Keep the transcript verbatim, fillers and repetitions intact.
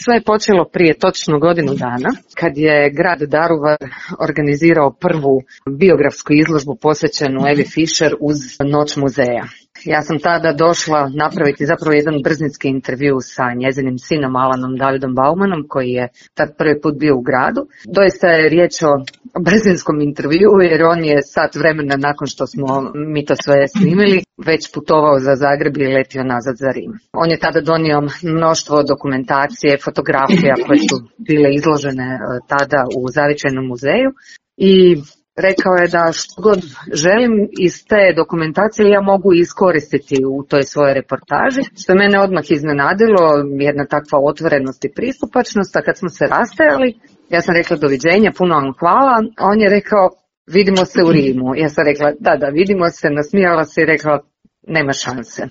Sve je počelo prije točno godinu dana, kad je grad Daruvar organizirao prvu biografsku izložbu posvećenu Evi Fischer uz Noć muzeja. Ja sam tada došla napraviti zapravo jedan brzinski intervju sa njezinim sinom Alanom Davidom Baumanom, koji je tad prvi put bio u gradu. Doista je riječ o brzinskom intervju, jer on je sat vremena nakon što smo mi to sve snimili već putovao za Zagreb i letio nazad za Rim. On je tada donio mnoštvo dokumentacije, fotografija koje su bile izložene tada u Zavičajnom muzeju i rekao je da što god želim iz te dokumentacije ja mogu iskoristiti u toj svojoj reportaži, što je mene odmah iznenadilo, jedna takva otvorenost i pristupačnost, a kad smo se rastajali, ja sam rekla doviđenja, puno vam hvala, a on je rekao vidimo se u Rimu. Ja sam rekla da, da, vidimo se, nasmijala se i rekla nema šanse.